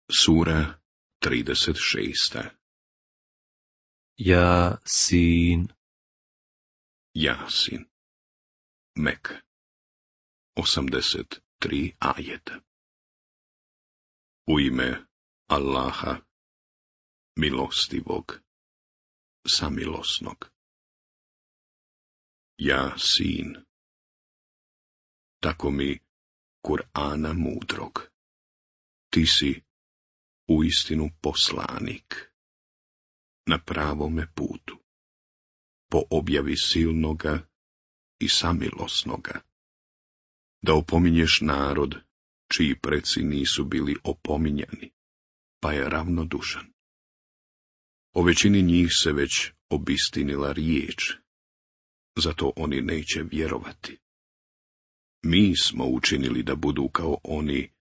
Sura 36. Jasin. Jasin. Mek. 83 ajeta. U ime Allaha, milostivog, samilosnog. Jasin. Tako mi Kur'ana mudrog. Ti si uistinu poslanik, na pravome putu, po objavi silnoga i samilosnoga, da opominješ narod, čiji preci nisu bili opominjani, pa je ravnodušan. O većini njih se već obistinila riječ, zato oni neće vjerovati. Mi smo učinili da budu kao oni,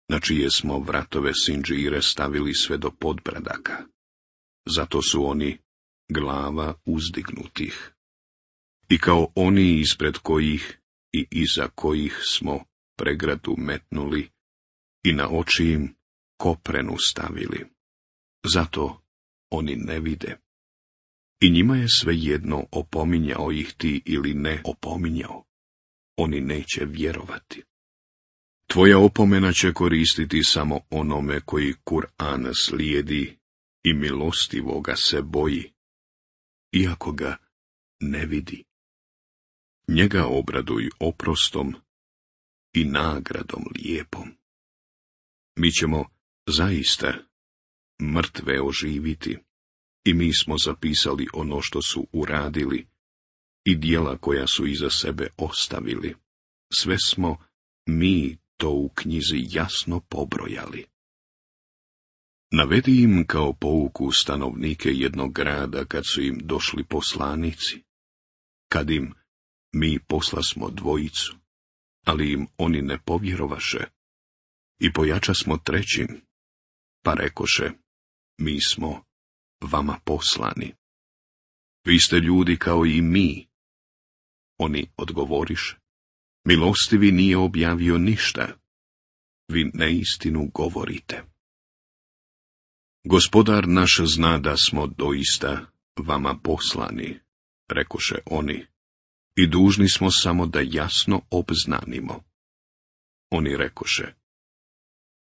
na čije smo vratove sinđire stavili sve do podbradaka. Zato su oni glava uzdignutih. I kao oni ispred kojih i iza kojih smo pregradu metnuli i na oči im koprenu stavili. Zato oni ne vide. I njima je svejedno opominjao ih ti ili ne opominjao. Oni neće vjerovati. Tvoja opomena će koristiti samo onome koji Kur'an slijedi i milostivoga se boji, iako ga ne vidi. Njega obraduj oprostom i nagradom lijepom. Mi ćemo zaista mrtve oživiti i mi smo zapisali ono što su uradili i djela koja su iza sebe ostavili. Sve smo mi to u knjizi jasno pobrojali. Navedi im kao pouku stanovnike jednog grada kad su im došli poslanici, kad im mi poslasmo dvojicu, ali im oni ne povjerovaše, i pojačasmo trećim, pa rekoše, mi smo vama poslani. Vi ste ljudi kao i mi. Oni odgovoriše, milostivi nije objavio ništa, vi neistinu govorite. Gospodar naš zna da smo doista vama poslani, rekoše oni, i dužni smo samo da jasno obznanimo. Oni rekoše,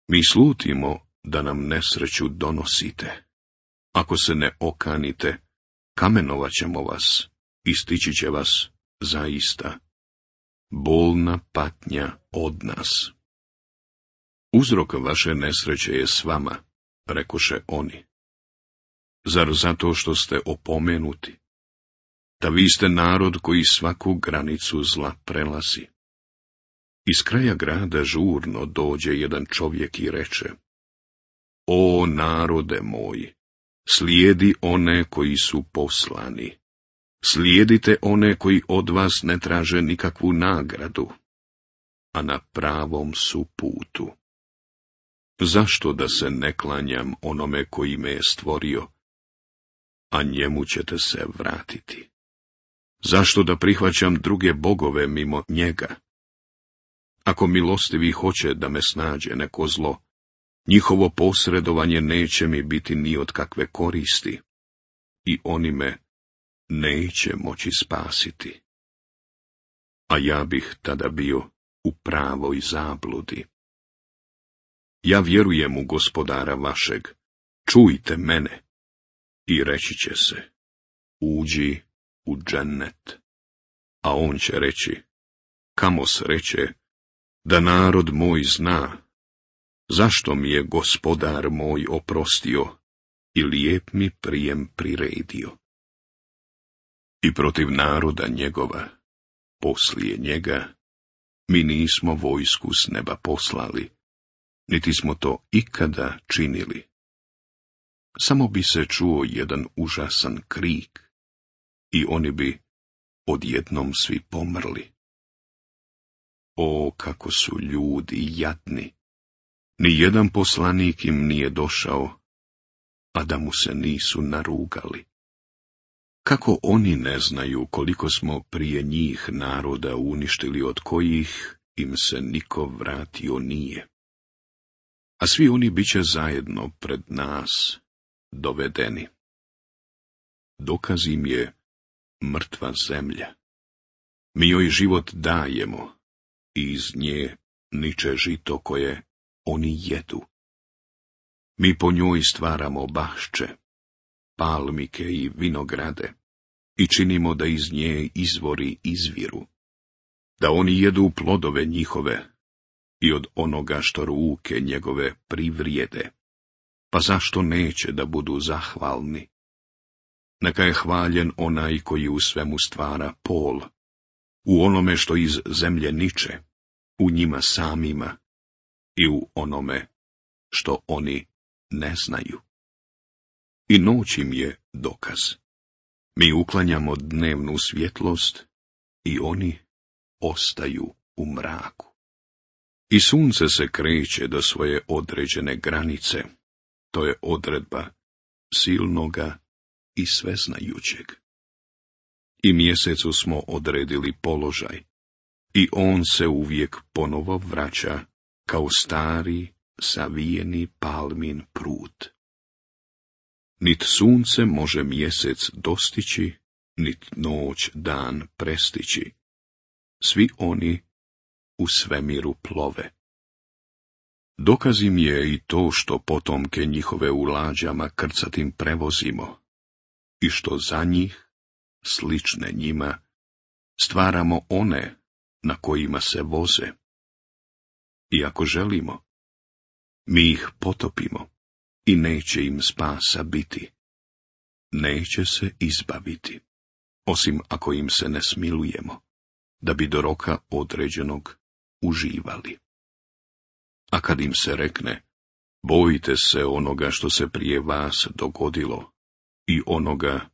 mi slutimo da nam nesreću donosite. Ako se ne okanite, kamenovat ćemo vas i stići će vas zaista bolna patnja od nas. Uzrok vaše nesreće je s vama, rekoše oni. Zar zato što ste opomenuti? Da vi ste narod koji svaku granicu zla prelazi. Iz kraja grada žurno dođe jedan čovjek i reče, o narode moj, slijedi one koji su poslani. Slijedite one koji od vas ne traže nikakvu nagradu, a na pravom su putu. Zašto da se ne klanjam onome koji me je stvorio, a njemu ćete se vratiti? Zašto da prihvaćam druge bogove mimo njega? Ako milostivi hoće da me snađe neko zlo, njihovo posredovanje neće mi biti ni od kakve koristi, i oni me neće moći spasiti. A ja bih tada bio u pravoj zabludi. Ja vjerujem u Gospodara vašeg, čujte mene, i reći će se, uđi u džennet. A on će reći, kamo sreće, da narod moj zna, zašto mi je Gospodar moj oprostio i lijep mi prijem priredio. I protiv naroda njegova, poslije njega, mi nismo vojsku s neba poslali, niti smo to ikada činili. Samo bi se čuo jedan užasan krik, i oni bi odjednom svi pomrli. O, kako su ljudi jadni! Ni jedan poslanik im nije došao, a da mu se nisu narugali. Kako oni ne znaju koliko smo prije njih naroda uništili od kojih im se niko vratio nije? a svi oni bit će zajedno pred nas dovedeni. Dokaz im je mrtva zemlja. Mi joj život dajemo i iz nje niče žito koje oni jedu. Mi po njoj stvaramo bašče, palmike i vinograde i činimo da iz nje izvori izviru, da oni jedu plodove njihove i od onoga što ruke njegove privrijede. Pa zašto neće da budu zahvalni? Neka je hvaljen onaj koji u svemu stvara pol, u onome što iz zemlje niče, u njima samima i u onome što oni ne znaju. I noć im je dokaz. Mi uklanjamo dnevnu svjetlost i oni ostaju u mraku. I sunce se kreće do svoje određene granice. To je odredba silnoga i sveznajućeg. I mjesecu smo odredili položaj, i on se uvijek ponovo vraća kao stari, savijeni palmin prut. Nit sunce može mjesec dostići, nit noć dan prestići. Svi oni u svemiru plove. Dokaz im je i to što potomke njihove u lađama krcatim prevozimo i što za njih, slične njima, stvaramo one na kojima se voze. I ako želimo, mi ih potopimo i neće im spasa biti. Neće se izbaviti, osim ako im se ne smilujemo, da bi do roka određenog uživali. A kad im se rekne, bojite se onoga što se prije vas dogodilo i onoga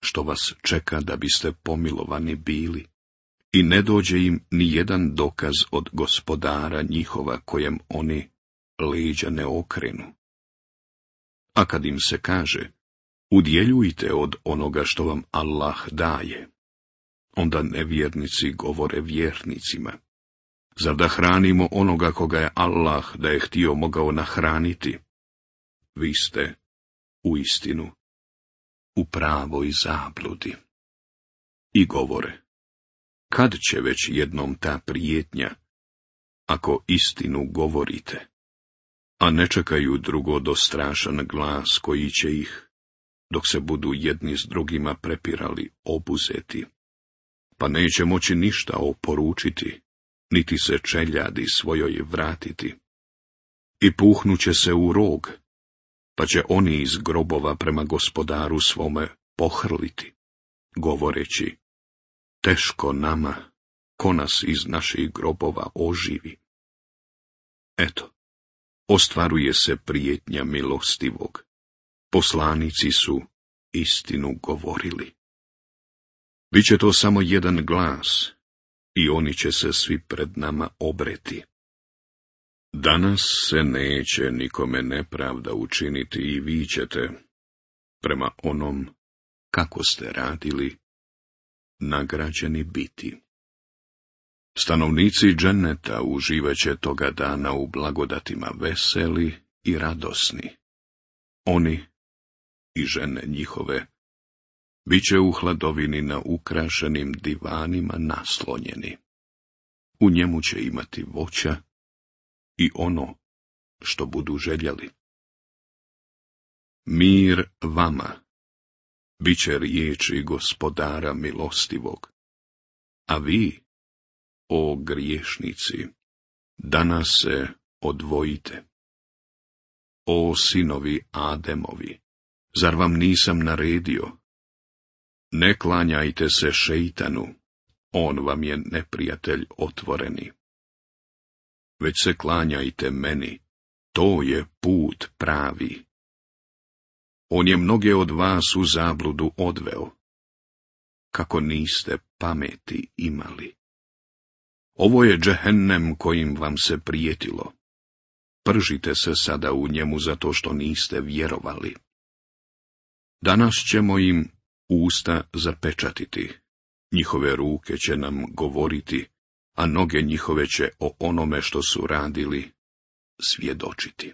što vas čeka da biste pomilovani bili, i ne dođe im ni jedan dokaz od gospodara njihova kojem oni leđa ne okrenu. A kad im se kaže, udjeljujte od onoga što vam Allah daje, onda nevjernici govore vjernicima, zar da hranimo onoga koga je Allah, da je htio, mogao nahraniti? Vi ste, uistinu, u pravoj zabludi. I govore, kad će već jednom ta prijetnja, ako istinu govorite, a ne čekaju drugo do strašan glas koji će ih, dok se budu jedni s drugima prepirali, obuzeti, pa neće moći ništa oporučiti, niti se čeljadi svojoj vratiti. I puhnuće se u rog, pa će oni iz grobova prema gospodaru svome pohrliti, govoreći, teško nama, ko nas iz naših grobova oživi. Eto, ostvaruje se prijetnja milostivog, poslanici su istinu govorili. Biće to samo jedan glas, i oni će se svi pred nama obreti. Danas se neće nikome nepravda učiniti i vi ćete, prema onom kako ste radili, nagrađeni biti. Stanovnici dženeta uživaće toga dana u blagodatima veseli i radosni. Oni i žene njihove biće u hladovini na ukrašenim divanima naslonjeni. U njemu će imati voća i ono što budu željeli. Mir vama, bit će riječi gospodara milostivog, a vi, o griješnici, danas se odvojite. O sinovi Ademovi, zar vam nisam naredio? Ne klanjajte se šeitanu, on vam je neprijatelj otvoreni. Već se klanjajte meni, to je put pravi. On je mnoge od vas u zabludu odveo, kako niste pameti imali. Ovo je džehennem kojim vam se prijetilo. Pržite se sada u njemu zato što niste vjerovali. Danas ćemo im usta zapečatiti, njihove ruke će nam govoriti, a noge njihove će o onome što su radili svjedočiti.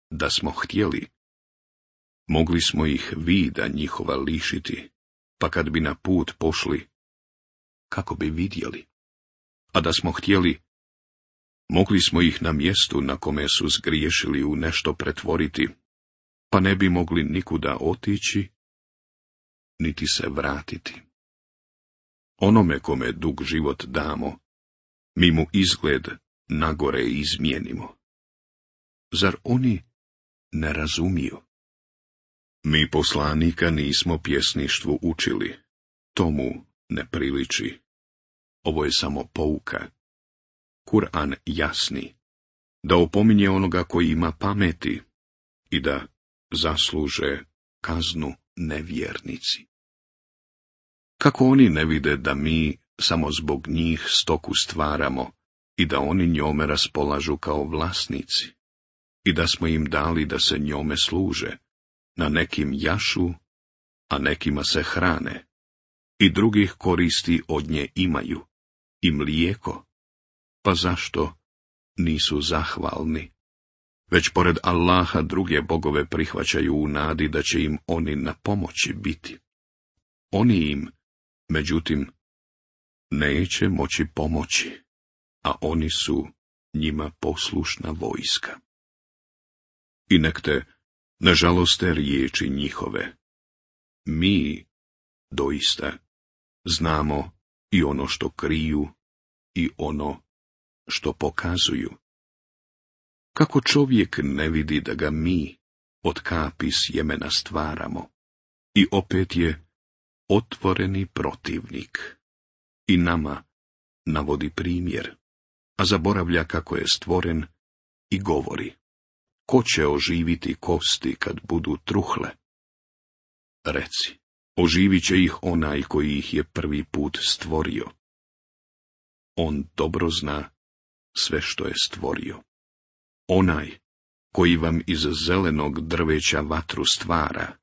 Da smo htjeli, mogli smo ih vida njihova lišiti, pa kad bi na put pošli, kako bi vidjeli. A da smo htjeli, mogli smo ih na mjestu na kome su zgriješili u nešto pretvoriti, pa ne bi mogli nikuda otići, niti se vratiti. Onome kome dug život damo, mi mu izgled nagore izmijenimo. Zar oni ne razumiju? Mi poslanika nismo pjesništvu učili, tomu ne priliči. Ovo je samo pouka. Kur'an jasni, da opominje onoga koji ima pameti i da zasluže kaznu nevjernici. Kako oni ne vide da mi samo zbog njih stoku stvaramo i da oni njome raspolažu kao vlasnici i da smo im dali da se njome služe, na nekim jašu, a nekima se hrane, i drugih koristi od nje imaju, i mlijeko, pa zašto nisu zahvalni? Već pored Allaha druge bogove prihvaćaju u nadi da će im oni na pomoći biti. Oni im, međutim, neće moći pomoći, a oni su njima poslušna vojska. I nek te ne žaloste riječi njihove. Mi, doista, znamo i ono što kriju i ono što pokazuju. Kako čovjek ne vidi da ga mi od kapi sjemena stvaramo, i opet je otvoreni protivnik. I nama navodi primjer, a zaboravlja kako je stvoren i govori: ko će oživiti kosti kad budu truhle? Reci, oživit će ih onaj koji ih je prvi put stvorio. On dobro zna sve što je stvorio. Onaj koji vam iz zelenog drveća vatru stvara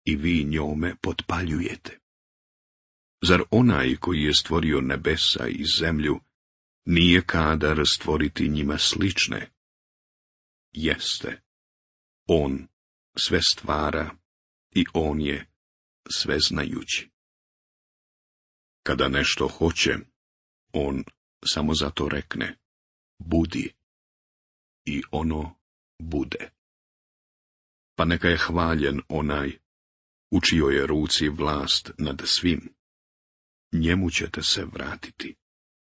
i vi njome potpaljujete. Zar onaj koji je stvorio nebesa i zemlju nije kadar stvoriti njima slične? Jeste. On sve stvara i on je sveznajući. Kada nešto hoće, on samo zato rekne: budi, i ono bude. Pa neka je hvaljen onaj u čijoj je ruci vlast nad svim. Njemu ćete se vratiti.